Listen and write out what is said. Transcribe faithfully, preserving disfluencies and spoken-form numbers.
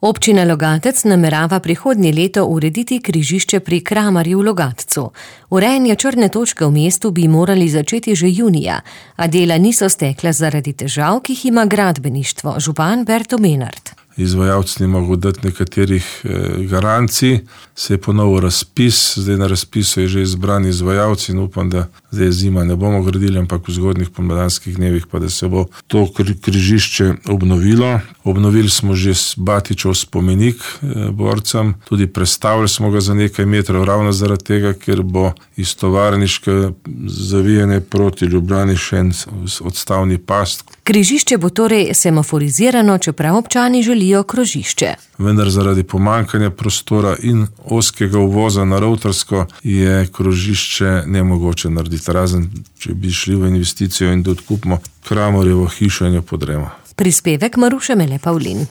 Občina Logatec namerava prihodnje leto urediti križišče pri Kramarju v Logatcu. Urejanje črne točke v mestu bi morali začeti že junija, a dela niso stekla zaradi težav, ki jih ima gradbeništvo. Župan Berto Menard. Izvajalci ne mogo dati nekaterih garancij, se je ponovil razpis, zdaj na razpisu je že izbrani izvajalci in upam, da zdaj zima ne bomo gradili, ampak v zgodnjih pomladanskih dnevih pa da se bo to križišče obnovilo. Obnovili smo že Batičev spomenik borcem, tudi prestavili smo ga za nekaj metrov ravno zaradi tega, ker bo iz tovarniške zavijene proti Ljubljani še en odstavni past. Križišče bo torej semaforizirano, čeprav občani želijo krožišče. Vendar zaradi pomanjkanja prostora in ozkega uvoza na Rovtarsko je krožišče nemogoče narediti, razen če bi šli v investicijo in da odkupimo Kramarjevo hišo in jo podremo. Prispevek Maruše Mele Pavlin.